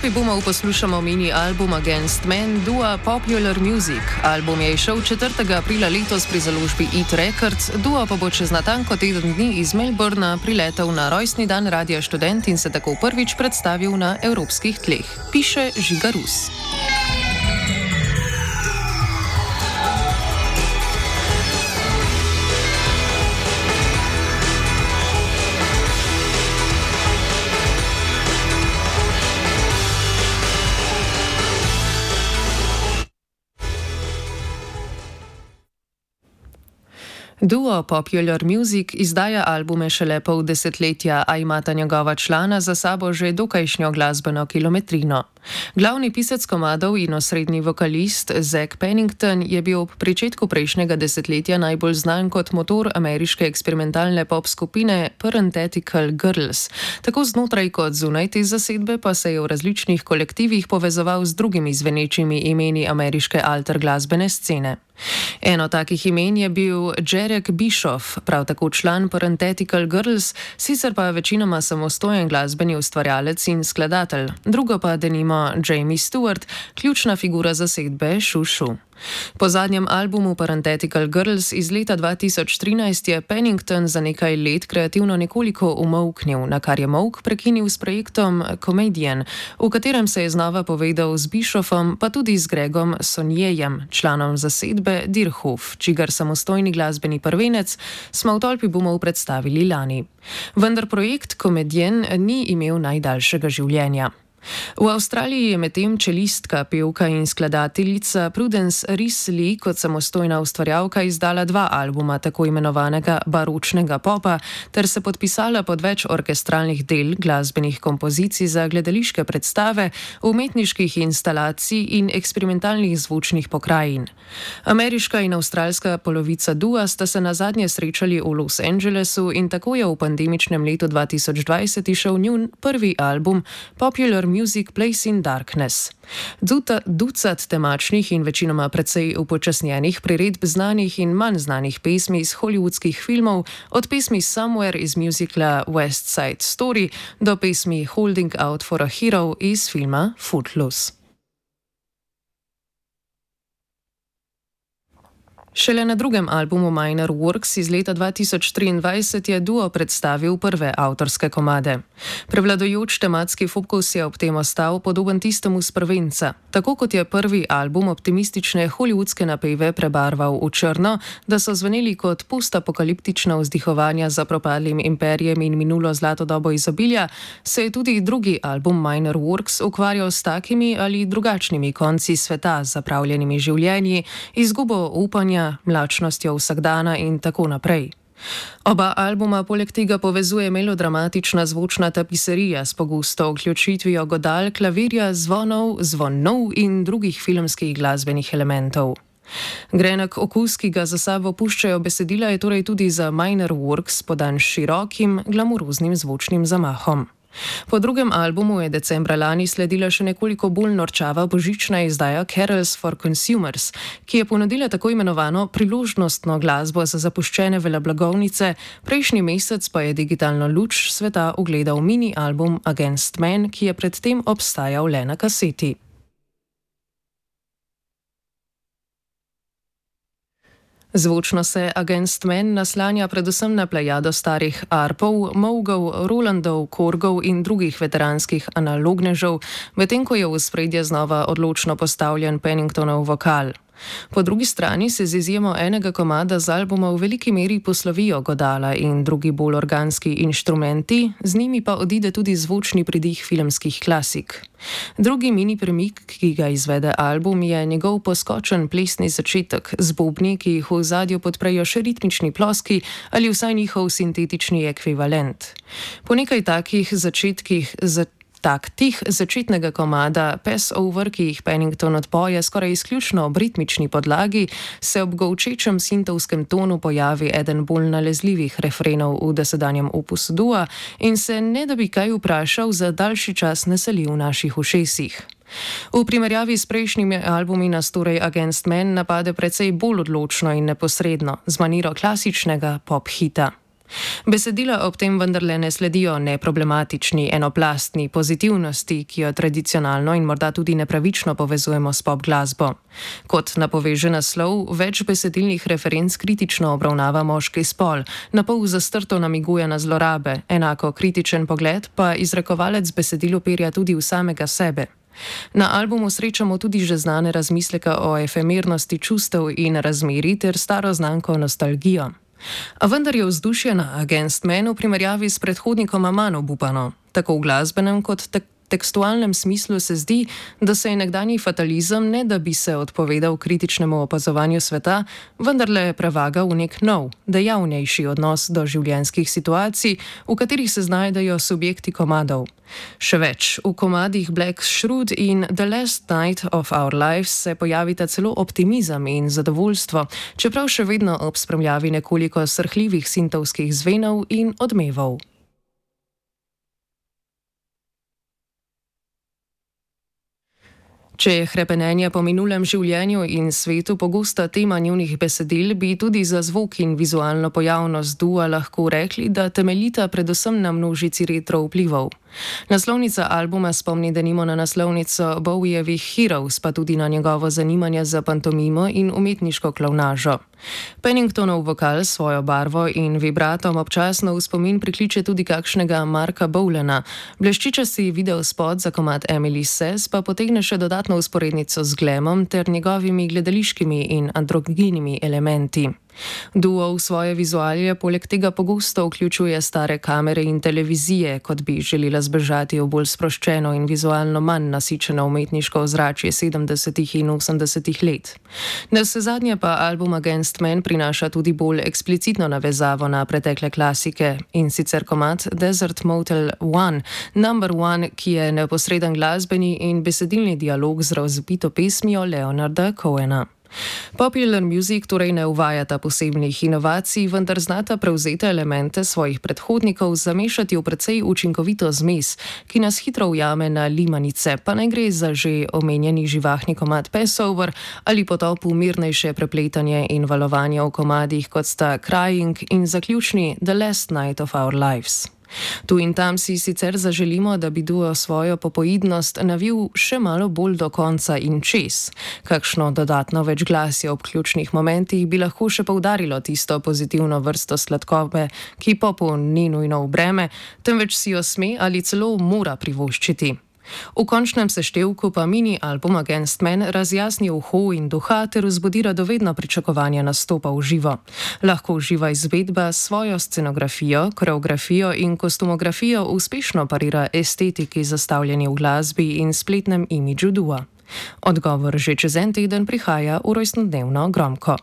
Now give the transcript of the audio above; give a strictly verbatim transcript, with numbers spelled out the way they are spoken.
Tolpi Boomov poslušamo mini album Against Men dua Popular Music. Album je izšel četrtega aprila letos pri založbi Eat Records, duo pa bo čez natanko teden dni iz Melbourna priletel na rojstni dan Radia Študent in se tako prvič predstavil na evropskih tleh, piše Žiga Rus. Duo Popular Music izdaja albume šele pol desetletja, a imata njegova člana za sabo že dokajšnjo glasbeno kilometrino. Glavni pisec komadov in osrednji vokalist Zack Pennington je bil ob pričetku prejšnjega desetletja najbolj znan kot motor ameriške eksperimentalne pop skupine Parenthetical Girls. Tako znotraj kot zunaj te zasedbe pa se je v različnih kolektivih povezoval z drugimi zvenečimi imeni ameriške alter glasbene scene. Eno takih imen je bil Jarek Bischoff, prav tako član Parenthetical Girls, sicer pa večinoma samostojen glasbeni ustvarjalec in skladatelj, drugo pa denimo Jamie Stewart, ključna figura zasedbe Šu Šu. Po zadnjem albumu Parenthetical Girls iz leta dva tisoč trinajst je Pennington za nekaj let kreativno nekoliko umolknil, na kar je molk prekinil s projektom Comedian, v katerem se je znova povedal z Bischoffom, pa tudi z Gregom Sonjejem, članom zasedbe Deerhoof, čigar samostojni glasbeni prvenec smo v Tolpi Boomov predstavili lani. Vendar projekt Comedian ni imel najdaljšega življenja. V Avstraliji je medtem čelistka, pevka in skladateljica Prudence Risley kot samostojna ustvarjalka izdala dva albuma tako imenovanega baročnega popa ter se podpisala pod več orkestralnih del, glasbenih kompozicij za gledališke predstave, umetniških instalacij in eksperimentalnih zvočnih pokrajin. Ameriška in avstralska polovica dua sta se nazadnje srečali v Los Angelesu in tako je v pandemičnem letu dva tisoč dvajset išel njun prvi album Popular Music Place in Darkness. Duta, ducat temačnih in večinoma precej upočasnjenih priredb znanih in manj znanih pesmi iz hollywoodskih filmov, od pesmi Somewhere iz musicala West Side Story do pesmi Holding Out for a Hero iz filma Footloose. Šele na drugem albumu Minor Works iz leta dva tisoč triindvajset je duo predstavil prve avtorske komade. Prevladujoč tematski fokus je ob tem ostal podoben tistemu s prvenca. Tako kot je prvi album optimistične hollywoodske napeve prebarval v črno, da so zveneli kot postapokaliptična vzdihovanja za propadlim imperijem in minulo zlato dobo izobilja, se je tudi drugi album Minor Works ukvarjal s takimi ali drugačnimi konci sveta, zapravljenimi življenji, izgubo upanja, mlačnostjo vsakdana in tako naprej. Oba albuma poleg tega povezuje melodramatična zvočna tapiserija s pogosto vključitvijo godal, klavirja, zvonov, zvonov in drugih filmskih glasbenih elementov. Grenek okus, ki ga za sabo puščajo besedila, je torej tudi za Minor Works podan širokim, glamuroznim zvočnim zamahom. Po drugem albumu je decembra lani sledila še nekoliko bolj norčava božična izdaja Carols for Consumers, ki je ponudila tako imenovano priložnostno glasbo za zapuščene veleblagovnice, prejšnji mesec pa je digitalno luč sveta ugledal mini album Against Men, ki je predtem obstajal le na kaseti. Zvočno se Against Men naslanja predvsem na plejado starih arpov, mougov, rolandov, korgov in drugih veteranskih analognežev, medtem ko je v ospredje znova odločno postavljen Penningtonov vokal. Po drugi strani se z izjemo enega komada z albuma v veliki meri poslovijo godala in drugi bolj organski inštrumenti, z njimi pa odide tudi zvočni pridih filmskih klasik. Drugi mini premik, ki ga izvede album, je njegov poskočen plesni začetek z bobni, ki jih v ozadju podprejo še ritmični ploski ali vsaj njihov sintetični ekvivalent. Po nekaj takih začetkih za taktih začetnega komada Pass Over, ki jih Pennington odpoje skoraj izključno ob ritmični podlagi, se ob golčečem sintovskem tonu pojavi eden bolj nalezljivih refrenov v dosedanjem opusu dua in se ne da bi kaj vprašal za daljši čas naseli v naših ušesih. V primerjavi s prejšnjimi albumi nas torej Against Men napade precej bolj odločno in neposredno, z maniro klasičnega pop hita. Besedila ob tem vendarle ne sledijo neproblematični, enoplastni pozitivnosti, ki jo tradicionalno in morda tudi nepravično povezujemo s pop glasbo. Kot napoveže naslov, več besedilnih referenc kritično obravnava moški spol, napol zastrto namiguje na zlorabe, enako kritičen pogled pa izrekovalec besedil uperja tudi v samega sebe. Na albumu srečamo tudi že znane razmisleke o efemernosti čustev in razmerij ter staro znanko nostalgijo. A vendar je vzdušje na Against Men v primerjavi s predhodnikoma manj obupano. Tako v glasbenem kot te tekstualnem smislu se zdi, da se je nekdanji fatalizem, ne da bi se odpovedal kritičnemu opazovanju sveta, vendarle prevagal v nek nov, dejavnejši odnos do življenjskih situacij, v katerih se znajdejo subjekti komadov. Še več, v komadih Black Shroud in The Last Night of Our Lives se pojavita celo optimizem in zadovoljstvo, čeprav še vedno ob spremljavi nekoliko srhljivih sintovskih zvenov in odmevov. Če je hrepenenje po minulem življenju in svetu pogosta tema njunih besedil, bi tudi za zvok in vizualno pojavnost dua lahko rekli, da temeljita predvsem na množici retro vplivov. Naslovnica albuma spomni denimo na naslovnico Bowiejevih Heroes, pa tudi na njegovo zanimanje za pantomimo in umetniško klovnažo. Penningtonov vokal s svojo barvo in vibratom občasno v spomin prikliče tudi kakšnega Marka Bowlena. Bleščičasti videospot za komad Emily Says pa potegne še dodatno vzporednico z glamom ter njegovimi gledališkimi in androgynimi elementi. Duo v svoje vizualije poleg tega pogosto vključuje stare kamere in televizije, kot bi želela zbežati v bolj sproščeno in vizualno manj nasičeno umetniško ozračje sedemdesetih in osemdesetih let. Navsezadnje pa album Against Men prinaša tudi bolj eksplicitno navezavo na pretekle klasike, in sicer komad Desert Motel One, Number One, ki je neposreden glasbeni in besedilni dialog z razvpito pesmijo Leonarda Cohena. Popular Music torej ne uvajata posebnih inovacij, vendar znata prevzete elemente svojih predhodnikov zamešati v precej učinkovito zmes, ki nas hitro ujame na limanice, pa naj gre za že omenjeni živahni komad Passover ali potop v mirnejše prepletanje in valovanje v komadih, kot sta Crying in zaključni The Last Night of Our Lives. Tu in tam si sicer zaželimo, da bi duo svojo popoidnost navil še malo bolj do konca in čez. Kakšno dodatno večglasje ob ključnih momentih bi lahko še poudarilo tisto pozitivno vrsto sladkobe, ki popu ni nujno v breme, temveč si jo sme ali celo mora privoščiti. V končnem seštevku pa mini album Against Men razjasni uho in duha ter vzbudi radovedno pričakovanje nastopa v živo. Lahko živa izvedba s svojo scenografijo, koreografijo in kostumografijo uspešno parira estetiki zastavljeni v glasbi in spletnem imidžu dua. Odgovor že čez en teden prihaja v rojstnodnevno Gromko.